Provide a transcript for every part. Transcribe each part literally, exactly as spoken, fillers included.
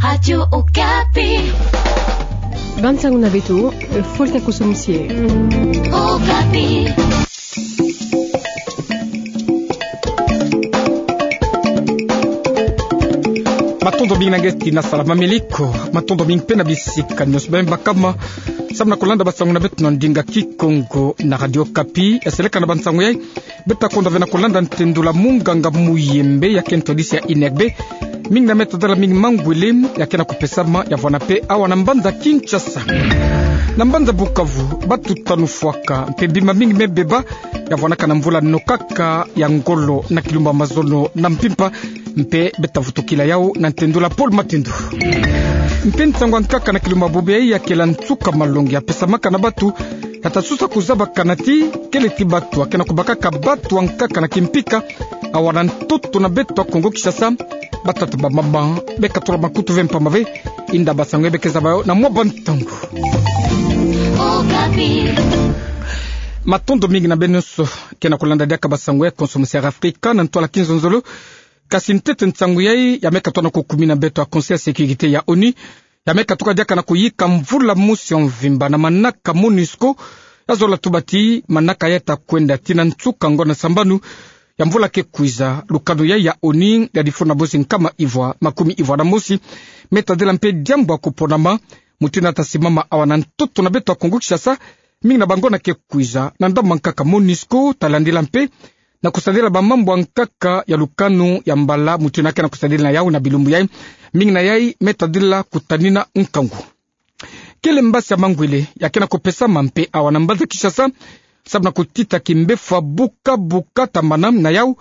Radio Okapi. Bansango na beto, Folka Kosomusie. Okapi. Matondo mingi na nge tina sala mameliko, matondo mingi mpe na bisika nyonso bembakama, samu na kolanda bansango na beto na ndinga Kikongo na Radio Okapi. Eseleka na bansango yai, beta konda ve na kolanda ntendula munganga Muyembe, ya ke ntwadisi ya INEGB, mingi na meta dala mingi mangwele ya ke na kupesama ya vwana mpe awa na mbanza Kinshasa. Na mbanza Bukavu, batu tanu fwaka, mpe bima mingi me beba, ya vwanaka na mvula nokaka ya ngolo na kilumbu ya mazono na mpimpa, mpe beta vutukila yau na ntendula Paul Matindu. Mpe nsangu ya nkaka na kilumbu ya bubu yai ya kela nsuka malongi ya pesamaka na batu, ya ta susa kuzabakana ti kele ti batu ya ke na kubakaka batu ya nkaka na kimpika, awa na ntoto na beto ya Kongo Kinshasa, batata bamama, beka tula makutu ve mpamba ve, inda bansango yai beke zaba yau na mwa bantangu. Matondo mingi na beno nyonso ke na kolanda diaka bansango ya Konsomusie ya Afrika na ntwala kinzonzolo. Kasi ntete nsangu yai, ya me katuka na kukumina beto ya Conseil ya Sécurité ya ONU, ya me katuka diaka na kuyika mvula mosi ya mvimba na manaka MONUSCO, ya zola tuba ti manaka yai ta kwenda tii na nsuka ngonda sambanu ya mvula ke kwiza. Lukanu yai ya ONU ya difuna bosi nkama ivwa makumi ivwa na mosi, me tadila mpe diambu ya kuponama, mutindu ya ta simama awa na ntoto na beto ya Kongo Kinshasa, mingi na bangonda ke kwiza, na ndambu ya nkaka MONUSCO ta landila mpe na kusadila bamambu ya nkaka ya lukanu ya mbala, mutindu ya ke na kusadila na yau na bilumbu yai, mingi na yai me tadila kutanina nkangu. Kele mbasi ya mangwele ya ke na kupesama mpe awa na mbanza Kinshasa, samu na kutita kimbefwa buka buka, tambana na yau,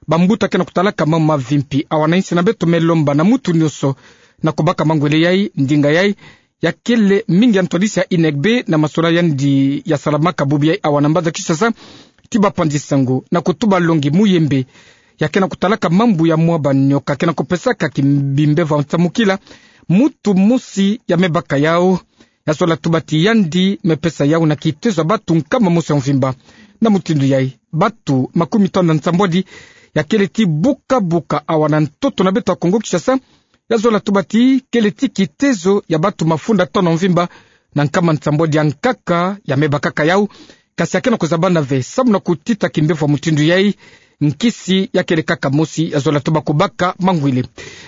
bambuta ke na kutalaka mambu mavimpi. Awa na insi na beto me lomba na mutu nyonso na kubaka mangwele yai, ndinga yai ya kele mingi ya ntwadisi ya INEGB na masolo yandi ya salamaka bubu yai awa na mbanza Kinshasa, ti bapanzi sango na kutuba longi Muyembe, ya ke na kutalaka mambu ya mwa banioka ke na kupesaka ki-, bimbefwa nsamukila, mutu mosi ya me baka yau, ya zola tuba ti yandi me pesa yau na kitezo ya batu nkama mosi ya mvimba. Na mutindu yai, batu makumi tanu na nsambwadi ya kele ti buka buka awa na ntoto na beto ya Kongo Kinshasa, ya zola tuba ti kele ti kitezo ya batu mafunda tanu ya mvimba na nkama nsambwadi ya nkaka ya me bakaka yau. Kasi ya ke na kuzabana ve, samu na kutita kimbefwa mutindu yai, nkisi ya kele kaka mosi ya zola tuba kubaka mangwele.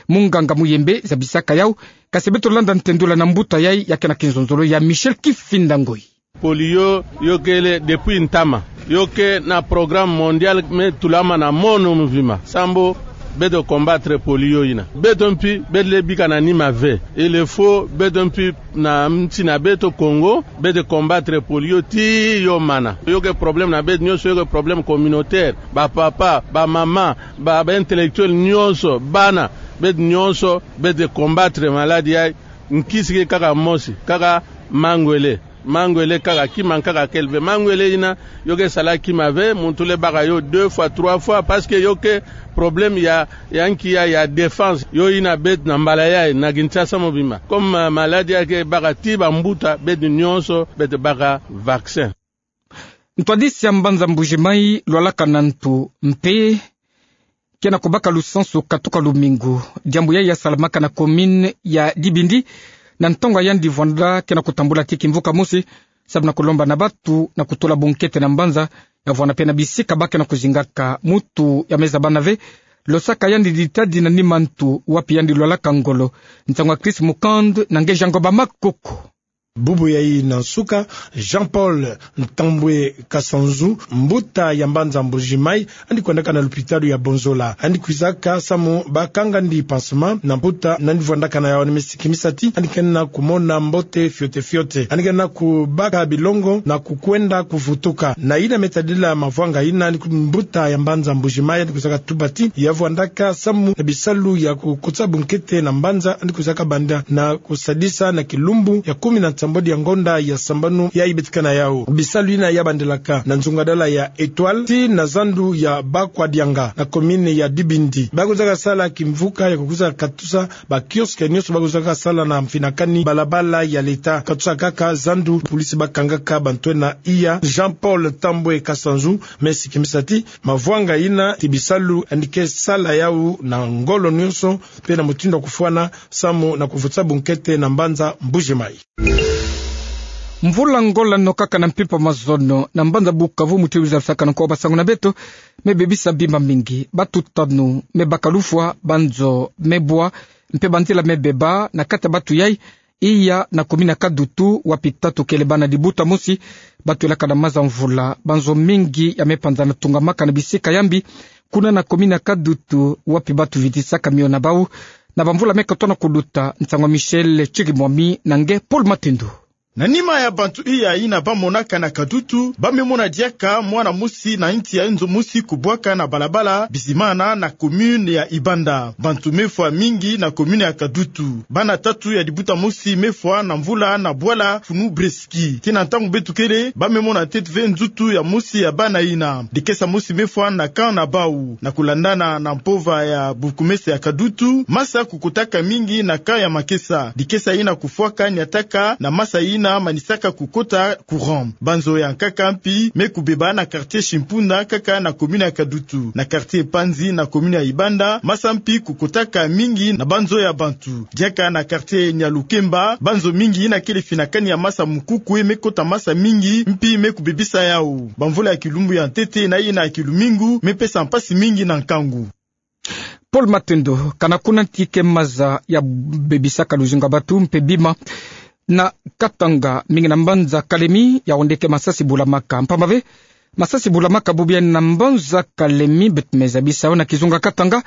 Munganga Muyembe zabisaka yau, kasi beto landa ntendula na mbuta yai ya ke na kinzonzolo ya Michel Kifinda Ngoi. Polio yo kele depuis ntama. Yo ke na programme mondial me tulama na mono mvimba, sambu beto combattre polio yina. Beto mpi, beto lenda bika na nima ve. Il faut beto mpi na nsi na beto Kongo, beto combattre polio tii yo mana. Yo ke problème na beto nyonso, yo ke problème communautaire. Bapapa, bamama, ba, ba intellectuel nyonso, bana, beto nyonso, beto combattre maladie yai, nkisi ke kaka mosi, kaka mangwele. Mangwele kaka, kima nkaka kele ve. Mangwele yina, yo ke sala kima ve, muntu lenda baka yo deux fois, trois fois, parce que yo ke problème ya, ya nki ya, ya défense. Yo yina beto na mbala yai, na Kinshasa mobimba. Comme, euh, maladie yai ke baka tii bambuta, beto nyonso, beto baka vaccin. Ntwadisi ya mbanza Mbuji-Mayi, Lualaka Nantu, mpe ke na kubaka lusansu katuka lumingu. Diambu yai ya salamaka na commune ya Dibindi, na ntangu yandi vwanda ke na kutambula ti kimvuka mosi, samu na kulomba na batu na kutula bunkete na mbanza, ya vwanda mpe na bisika ba ke na kuzingaka. Mutu ya me zabana ve, losaka yandi ditadi na nima ntu, wapi yandi Lualaka ngolo. Nsangu ya Chris Mukand na nge Jean Ngoba Makoko. Bubu yai na nsuka, Jean-Paul Ntambwe Kasanzu, mbuta ya mbanza Mbuji-Mayi, yandi kwendaka na lupitalu ya Bonzola. Yandi kwizaka samu ba kanga yandi pansement na mputa, na yandi vwandaka na yawu na misiki misati, yandi kena kumona mbote fiote fiote. Yandi kena kubaka bilongo na kukwenda kuvutuka. Na yina me tadila mavwanga yina, yandi ku-, mbuta ya mbanza Mbuji-Mayi, yandi kwizaka tuba ti ya vwandaka samu na bisalu ya kukutsa bunkete na mbanza, yandi kwizaka banda na kusadisa na kilumbu ya kumi na nsambwadi mbodi ya ngonda ya sambanu yayi beto ke na yawu. Bisalu yina ya bandelaka na nzungadala ya Etoile tii na zandu ya Bakwadianga na commune ya Dibindi. Ba kwizaka sala kimvuka ya kukwiza katusa ba kiosque nyonso ba kwizaka sala na mfinakani balabala ya leta. Katusa kaka zandu police ba kangaka bantu ena iya. Jean-Paul Tambwe Kasanzu me sikimisa ti mavwanga yina ti bisalu yandi ke sala yawu na ngolo nyonso mpe na mutindu ya kufwana samu na kuvutisa bunkete na mbanza Mbuji-Mayi. Mvula ngola nokaka na mpimpa mazono na mbanza Bukavu, mutindu zabisaka na nko basangu na beto, me bebisa bima mingi. Batu tanu me baka lufwa, banzo me bwa, mpe banzila me beba. Na kati ya batu yayi, iya na commune ya Kadutu, wapi tatu kele bana libuta mosi ba twelaka na maza mvula. Banzo mingi ya me panzana tungamaka na bisika ya mbi kuna na commune ya Kadutu, wapi batu vitisaka mio na bawu na bamvula me kotona kuluta. Nsangu ya Michel Chirimwami na nge Paul Matendo. Na nima ya bantu iya yina ba monaka na Kadutu, ba me mona diaka mwana mosi na nti ya nzo mosi kubwaka na balabala bizimana na commune ya Ibanda. Bantu me fwa mingi na commune ya Kadutu. Bana tatu ya libuta mosi me fwa na mvula na bwala funu Breski. Tii na ntangu beto kele, ba me mona ntete ve nzutu ya mosi ya bana yina. Dikesa mosi me fwa na camp na bawu. Na kulandana na mpova ya bourgmestre ya Kadutu, masa kukotaka mingi na camp ya makesa. Dikesa yina kufwaka niataka na masa yina manisaka kukota courant. Banzo ya nkaka mpi me kubeba na quartier Chimpunda, kaka na commune ya Kadutu. Na quartier Panzi na commune ya Ibanda, masa mpi kukotaka mingi na banzo ya bantu. Diaka na quartier Nialukemba, banzo mingi yina kele finakani ya masa mukukwe me kota masa mingi, mpi me kubebisa yawu. Bamvula ya kilumbu ya ntete na yina ya kilumingu me pesa mpasi mingi na nkangu. Paul Matendo. Kana kuna nti ke maza ya bebisaka luzingu ya batu mpe bima na Katanga, mingi na mbanza Kalemi, ya onde ke masasi bulamaka. Mpamba ve, masasi bulamaka bubu yayi na mbanza Kalemi, beto me zabisa yawu na kizunga Katanga,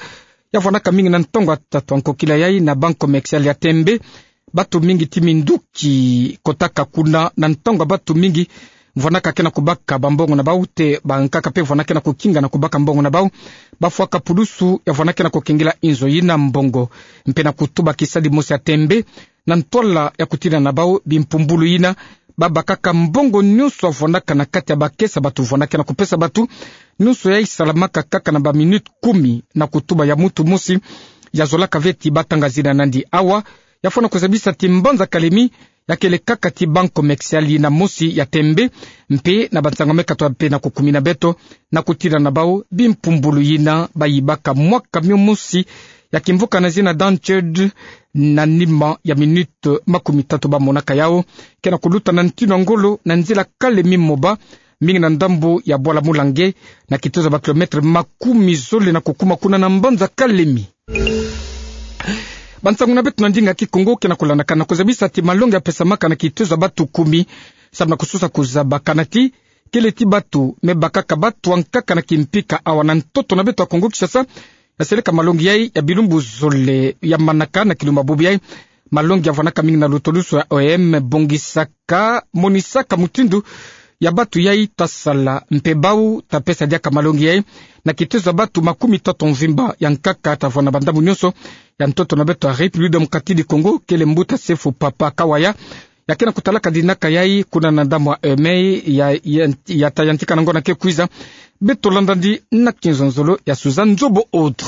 ya vwanaka mingi na ntongo ya tatu ya nkokila yayi na banque commerciale ya Tembe. Batu mingi ti minduki kotaka kuna na ntangu ya batu mingi vwanaka ke na kubaka bambongo na bawu, te bankaka mpe vwanaka ke na kukinga na kubaka mbongo na bawu. Bafwaka pulusu ya vwanaka ke na kukengila inzo yina mbongo, mpe na kutuba kisadi mosi ya Tembe na ntwala ya kutina na bawu bimpumbulu yina babakaka mbongo nyonso ya vwanaka na kati ya bakesa batu vwanaka ke na kupesa batu. Nyonso yayi salamaka kaka na ba minutes kumi na kutuba ya muntu mosi ya zolaka ve ti batanga zina na yandi. Awa ya fwana kuzabisa ti mbanza Kalemi ya kele kaka ti banque commerciale yina mosi ya Tembe, mpe na bansangu me katoa mpe na kukumina beto, na kutina na bawu bimpumbulu yina bayibaka mwa camion mosi ya kimvuka na zina Danched, na nima ya minutes makumi tatu ba monaka yawu ke na kuluta na ntinu ya ngolo na nzila Kalemi-Moba, mingi na ndambu ya bwala Mulange, na kitozo ya ba kilomètre makumi zole na kukuma kuna na mbanza Kalemi. Bansangu na beto na ndinga Kikongo ke na kulandakana. Kuzabisa ti malongi ya pesamaka na kitozo ya batu kumi samu na kusosa kuzaba kana ti kele ti batu me bakaka batu ya nkaka na kimpika awa na ntoto na beto ya Kongo-Kinshasa, ya seleka malongi yayi ya bilumbu zole ya manaka. Na kilumbu ya bubu yayi, malongi ya vwanaka mingi na lutolusu ya O M bongisaka, monisaka mutindu ya batu yayi ta sala mpe bawu ta pesa diaka malongi yayi na kitozo ya batu makumi tatu mvimba ya nkaka ta vwanda bandambu nyonso ya ntoto na beto ya République démocratique du Congo, kele mbuta Sefu Papa Kawaya, ya ke na kutalaka dinaka yayi kuna na ndambu ya O M ya, ya, ya ta yantika na ngonda ke kwiza. Beto landa yandi na kinzonzolo ya Suzanne Nzobo Autre.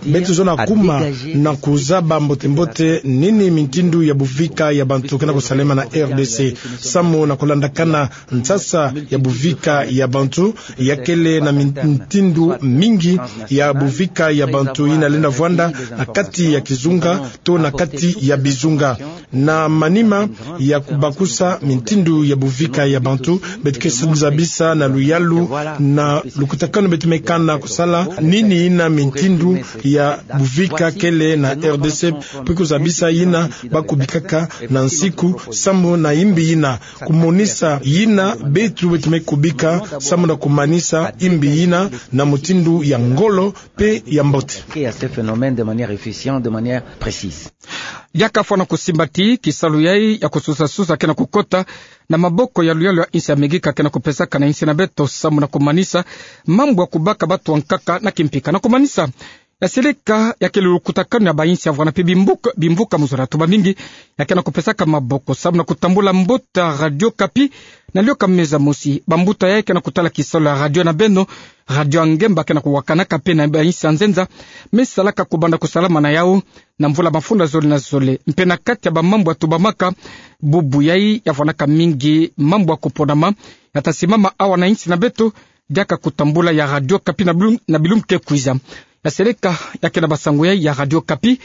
Beto zola kuma na kuzaba mbote-mbote nini mintindu ya buvika ya bantu ke na kusalema na R D C. Samu na kulandakana nsasa ya buvika ya bantu, ya kele na min-, mintindu mingi ya buvika ya bantu yina lenda vwanda na kati ya kizunga to na kati ya bizunga. Na manima ya kubakusa mintindu ya buvika ya bantu, beto ke zabisa na luyalu na lukutakanu beto me kana kusala nini yina mintindu ya buvika kele na R D C, mpe kuzabisa yina ba kubikaka na nsiku samu na imbi yina, kumonisa yina beto beto me kubika samu na kumanisa imbi yina na mutindu ya ngolo mpe ya mbote. Qui a ce phénomène de manière efficiente, de manière précise. Diaka fwana kusimba ti kisalu yayi ya kusosa-sosa ke na kukota na maboko ya luyalu ya insi ya Mexique ke na kupesaka na insi na beto samu na kumanisa mambu ya kubaka batu ya nkaka na kimpika. Na kumanisa, Ya seleka, ya ke lulukutakanu ya bayinsi ya vwanape bimbuka, bimvuka mu zola. Tuba mingi ya ke na kupesaka maboko samu na kutambula mbuta Radio Okapi na lioka meza mosi. Bambuta ya ke na kutala kisalu ya radio na beno, Radio Ngemba ke na kuwakanaka pe na bayinsi ya nzenza, me salaka kubanda kusalama na yau na mvula mafunda zole na zole. Mpe na kati ya bamambu ya tubamaka, bubu yai ya vwanaka mingi mambu ya kuponama ya ta simama awa na insi na beto, diaka kutambula ya Radio Okapi na bilum-, na bilumbu ke kwiza. Ya seleka, ya ke na basango yai ya Radio Okapi.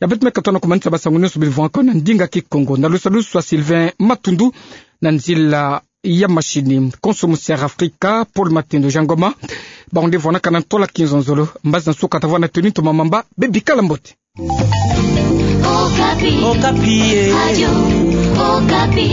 Ya beto me katoa na kumanisa basango nyonso bivwangaka na ndinga Kikongo. Na lusalusu ya Sylvain Matundu, na nzila ya machine, konso mu Sierra Africa, Paul Matendo Jangoma. Bango nde vwanaka na ntola kinzonzolo. Mbazi na nsuka ta vwanda na tenue ntoma mamba, bebikala mbote. Okapi. Okapi, eh. Radio Okapi.